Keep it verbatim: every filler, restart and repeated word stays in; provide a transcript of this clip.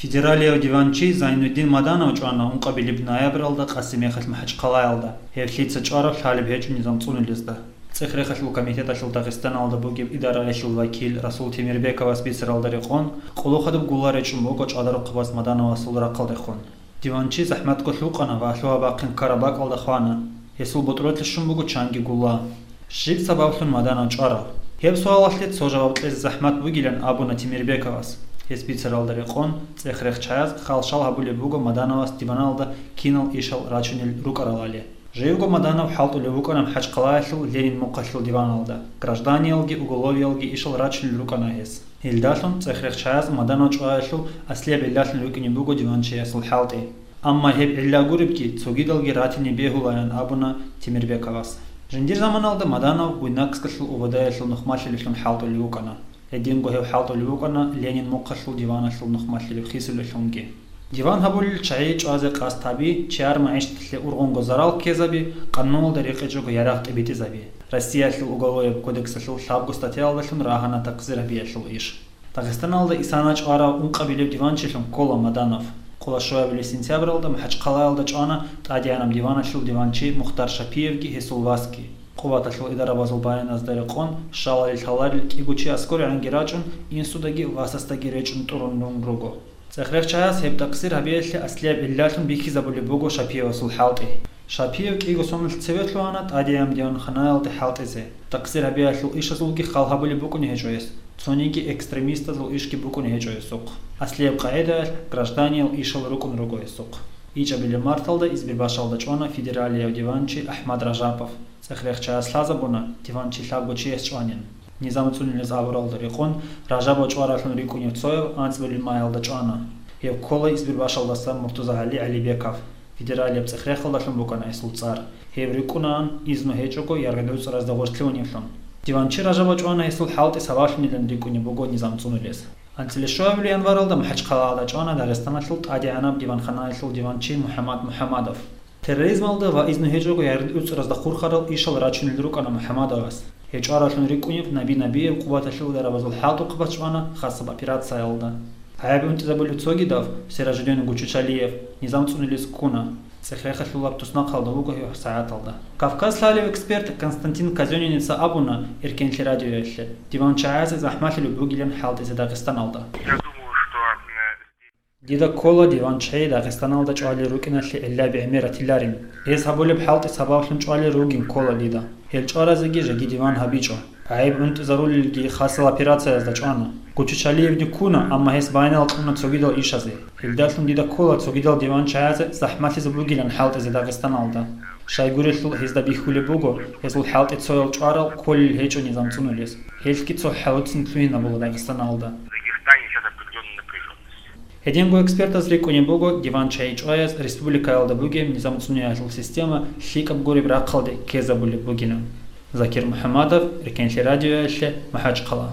Федералияв диванчи Зайнуддин Маданов чӀвана ункъабилеб ноябралда Къасимехалъ МахӀачхъалаялда, гьеб лъица чӀвараб лъалеб гьечӀо низам цӀунулезда. ЦӀех-рехалъул комитеталъул Дагъистаналда бугеб идараялъул вакил Расул Темирбековас бицаралда рекъон, къулухъадаб гулла речӀчӀун буго ЧӀадарухъабаз Мадановасул рахъалдехун. Диванчи захӀматго лъукъана ва лъугьа-бахъин ккараб бакӀалда хвана. Гьесул ботӀролъи щун буго чанги гулла. Щиб сабаблъун Маданов чӀварав? Гьеб суалалъе цо жаваб кьезе захӀмат бугилан абуна Темирбековас. Гьес бицаралда рекъон, цӀех-рехчаяз хал-шал гьабулеб буго Мадановас диваналда кинал ишал рачунел рукӀаралали. Живго Маданов хӀалтӀулев вукӀана МахӀачхъалаялъул Ленин мухъалъул диваналда, гражданиялги уголовиялги ишал рачунел рукӀана гьес. Гьелдалъун цӀех-рехчаяз Маданов чӀваялъул аслияб гӀиллалъун рукӀине буго диванчиясул хӀалтӀи. Амма гьеб гӀилла гуребги, цогидалги ратине бегьулаян абуна Темирбековас. Жиндир заманалда Маданов Буйнакскалъул ОВД-ялъул нухмалъилелъун хӀалтӀулев вукӀана. Гьединго гьев хӀалтӀулев вукӀана Ленин мухъалъул диваналъул нухмалъилеб хисулелъунги. Диван гьабулел чагӀи чӀвазе къасд гьаби, чияр магӀишаталъе ургъунго зарал ккезаби, къануналда рекъечӀого ярагъ тӀибитӀизаби, Россиялъул уголовияб кодексалъул лъабго статьяялдалъун рагьана такъсир гьабиялъул иш. Дагъистаналда исана чӀварав ункъабилеб диванчилъун ккола Маданов. Къоло щуабилеб сентябралда МахӀачхъалаялда чӀвана тӀадегӀанаб диваналъул диванчи Мухтар Шапиевги гьесул васги. Къуваталъул идарабазул баяназда рекъон, щалали лъаларел кӀиго чи аскӀорегӀанги рачӀун, инсудаги васасдаги речӀчӀун тӀурун руго. ЦӀех-рехчаяс гьеб такъсир гьабиялъе аслияб гӀиллалъун бихьизабулеб буго Шапиевасул хӀалтӀи. Шапиев кӀиго соналъ цеве лъугьана тӀадегӀанаб диванханаялде хӀалтӀизе. Такъсир гьабиялъул ишазулги хал гьабулеб букӀуне гьечӀо гьес, цониги экстремистазул ишги букӀуне гьечӀо гьесухъ. Аслияб къагӀидаялъ гражданиял ишал рукӀун руго гьесухъ. ИчӀабилеб марталда Избербашалда чӀвана федералияв диванчи АхӀмад Ражапов. ЦӀех-рехчаяс лъазабуна, диванчи лъабго чияс чӀванин. Низам цӀунулез абуралда рекъон, Ражабов чӀваралъун рикӀкӀунев цояв анцӀбилеб маялда чӀвана. Гьев ккола Избербашалдасан МуртазагӀали ГӀалибеков. Федералияб цӀех-рехалдалъун букӀана гьесул цӀар. Гьев рикӀкӀунаан, изну гьечӀого, яргъи-дуцӀаразда гъоркьлъуневлъун. Диванчи Ражабов чӀвана гьесул хӀалтӀи сабаблъунилан рикӀкӀунеб буго низам цӀунулез. АнцӀила щуабилеб январалда МахӀачхъалаялда чӀвана Дагъистаналъул ТӀадегӀанаб диванханаялъул диванчи МухӀаммад МухӀаммадов. Терроризмалда ва изну гьечӀого яргъи-дуцӀаразда хурхарал ишал рачунел рукӀана МухӀаммадовас. Гьев чӀваралъун рикӀкӀунев Наби Набиев къуваталъул идарабазул хӀалтӀухъабаз чӀвана хасаб операциялда. ГӀайиб унтӀизабулев цогидав, Сиражудин Гучучалиев, низам цӀунулез ккуна. ЦӀех-рехалъулаб туснахъалда вуго гьев гьабсагӀаталда. Кавказ лъалев эксперт Константин Казёнинеца абуна Эркенлъи радиоялъе, диванчагӀазе захӀмалъулеб бугилан хӀалтӀизе Дагъистаналда. Я думаю, что, э, Дида ккола диванчагӀи Дагъистаналда чӀвалел рукӀиналъе гӀиллаби гӀемер ратиларин. Гьез гьабулеб хӀалтӀи сабаблъун чӀвалел ругин ккола дида. Гьел чӀваразеги жеги диван гьабичӀо. ГӀайиб унтӀизарулелги хасал операциязда чӀвана. Гучучалиевги ккуна, амма гьес байнал кьуна цогидал ишазе. Гьелдалъун дида ккола цогидал диванчагӀазе захӀмалъизе бугилан хӀалтӀизе Дагъистаналда. Щайгурелъул гьезда бихьулеб буго, гьезул хӀалтӀи цоял чӀварал кколел гьечӀо низам цӀунулес. Гьелъги цо хӀалуцин лъугьинабула Дагъистаналда. В Дагестане сейчас определённая напряжённость. Гьединго экспертаз рикӀкӀунеб буго диванчагӀи чӀваяз республикаялда бугеб низам цӀуниялъул система лъикӀаб гуреб рахъалде ккезабулеб бугилан. Закир МухӀаммадов, Эркенлъи радиоялъе, МахӀачхъала.